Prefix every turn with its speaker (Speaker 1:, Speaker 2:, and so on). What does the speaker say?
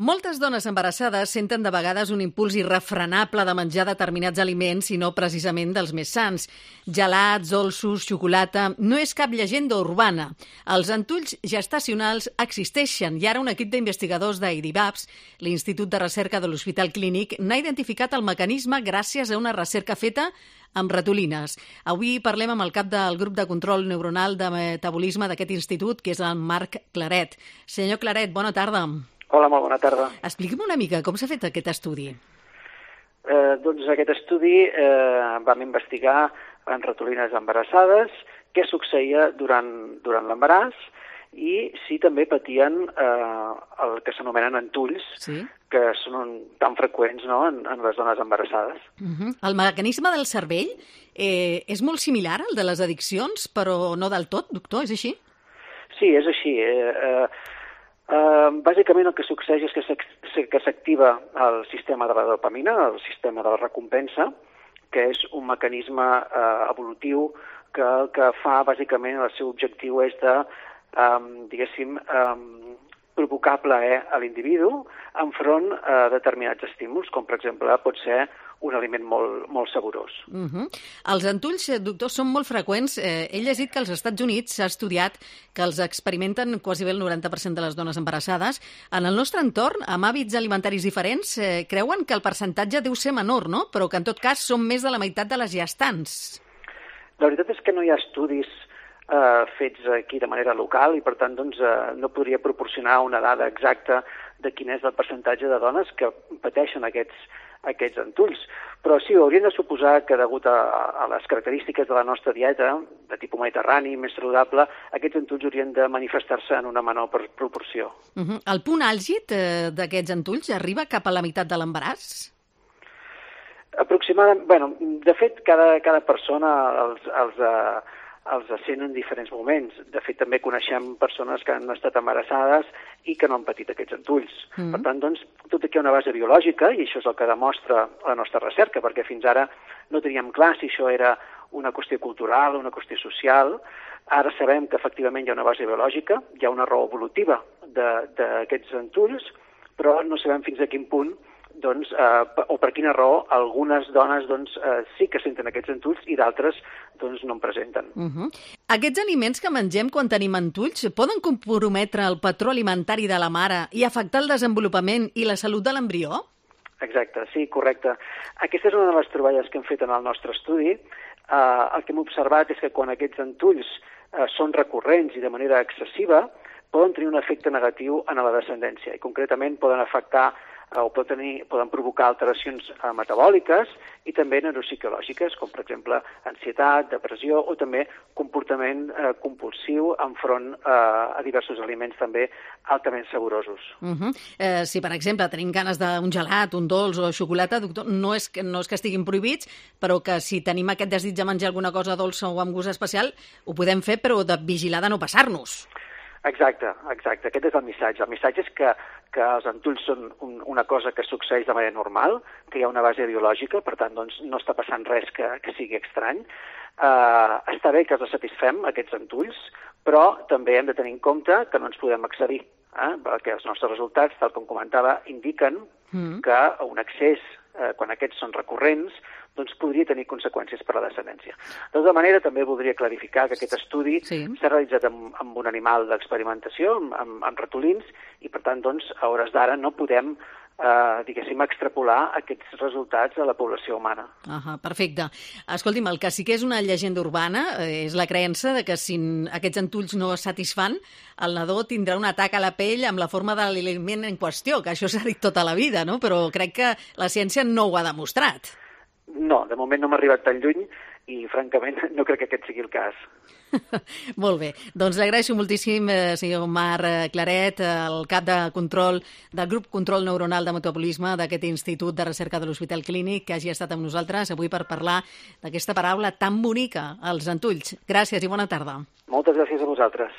Speaker 1: Moltes dones embarassades senten de vegades un impuls irrefrenable de menjar determinats aliments i no precisament dels més sans. Gelats, dolços, xocolata... No és cap llegenda urbana. Els entulls gestacionals existeixen i ara un equip d'investigadors d'IDIVAPS, l'Institut de Recerca de l'Hospital Clínic, n'ha identificat el mecanisme gràcies a una recerca feta amb ratolines. Avui parlem amb el cap del grup de control neuronal de metabolisme d'aquest institut, que és el Marc Claret. Senyor Claret, bona tarda.
Speaker 2: Hola, molt bona tarda.
Speaker 1: Expliqui'm una mica com s'ha fet aquest estudi.
Speaker 2: Doncs aquest estudi vam investigar en ratolines embarassades què succeïa durant l'embaràs i si també patien el que s'anomenen entulls, sí, que són tan freqüents, no, en les dones embarassades.
Speaker 1: El mecanisme del cervell és molt similar al de les addiccions, però no del tot, doctor, és així?
Speaker 2: Sí, és així. Bàsicament el que succeeix és que s'activa el sistema de la dopamina, el sistema de la recompensa, que és un mecanisme evolutiu que el que fa bàsicament el seu objectiu és de, provocar plaer a l'individu enfront a determinats estímuls, com per exemple pot ser un aliment molt saborós.
Speaker 1: Els entulls, doctor, són molt freqüents. He llegit que als Estats Units s'ha estudiat que els experimenten quasi bé el 90% de les dones embarassades. En el nostre entorn, amb hàbits alimentaris diferents, creuen que el percentatge deu ser menor, no? Però que en tot cas són més de la meitat de les gestants.
Speaker 2: La veritat és que no hi ha estudis fets aquí de manera local i per tant doncs, no podria proporcionar una dada exacta de quin és el percentatge de dones que pateixen aquests entulls. Però sí, hauríem de suposar que degut a les característiques de la nostra dieta, de tipus mediterrani, més saludable, aquests entulls haurien de manifestar-se en una menor proporció.
Speaker 1: El punt àlgid d'aquests entulls arriba cap a la meitat de l'embaràs?
Speaker 2: Aproximadament, bueno, de fet, cada persona els sent en diferents moments. De fet, també coneixem persones que han estat embarassades i que no han patit aquests entulls. Per tant, doncs, tot aquí hi ha una base biològica, i això és el que demostra la nostra recerca, perquè fins ara no teníem clar si això era una qüestió cultural o una qüestió social. Ara sabem que efectivament hi ha una base biològica, hi ha una raó evolutiva d'aquests entulls, però no sabem fins a quin punt doncs, o per quina raó algunes dones doncs, sí que senten aquests entulls i d'altres doncs, no en presenten.
Speaker 1: Aquests aliments que mengem quan tenim entulls poden comprometre el patró alimentari de la mare i afectar el desenvolupament i la salut de l'embrió?
Speaker 2: Exacte, sí, correcte. Aquesta és una de les troballes que hem fet en el nostre estudi. El que hem observat és que quan aquests entulls són recurrents i de manera excessiva, poden tenir un efecte negatiu en la descendència i concretament poden afectar o poden provocar alteracions metabòliques i també neuropsicològiques, com per exemple ansietat, depressió o també comportament compulsiu enfront a diversos aliments també altament saborosos.
Speaker 1: Si, per exemple, tenim ganes d'un gelat, un dolç o xocolata, doctor, no és que estiguin prohibits, però que si tenim aquest desig de menjar alguna cosa dolça o amb gust especial, ho podem fer, però de vigilar de no passar-nos.
Speaker 2: Exacte. Aquest és el missatge. El missatge és que els entulls són una cosa que succeeix de manera normal, que hi ha una base biològica, per tant, doncs, no està passant res que sigui estrany. Està bé que els satisfem, aquests entulls, però també hem de tenir en compte que no ens podem excedir, perquè els nostres resultats, tal com comentava, indiquen que un excés, quan aquests són recurrents, doncs podria tenir conseqüències per a la descendència. De tota manera, també voldria clarificar que aquest estudi s'ha realitzat amb un animal d'experimentació, amb ratolins, i per tant, doncs, a hores d'ara no podem extrapolar aquests resultats a la població humana.
Speaker 1: Perfecte. Escolti'm, el que sí que és una llegenda urbana és la creença de que si aquests entulls no es satisfan, el nadó tindrà un atac a la pell amb la forma de l'aliment en qüestió, que això s'ha dit tota la vida, no? Però crec que la ciència no ho ha demostrat.
Speaker 2: No, de moment no m'ha arribat tan lluny i, francament, no crec que aquest sigui el cas.
Speaker 1: Molt bé. Doncs li agraeixo moltíssim, senyor Marc Claret, el cap de control del grup Control Neuronal de Metabolisme d'aquest Institut de Recerca de l'Hospital Clínic, que hagi estat amb nosaltres avui per parlar d'aquesta paraula tan bonica, els entulls. Gràcies i bona tarda.
Speaker 2: Moltes gràcies a vosaltres.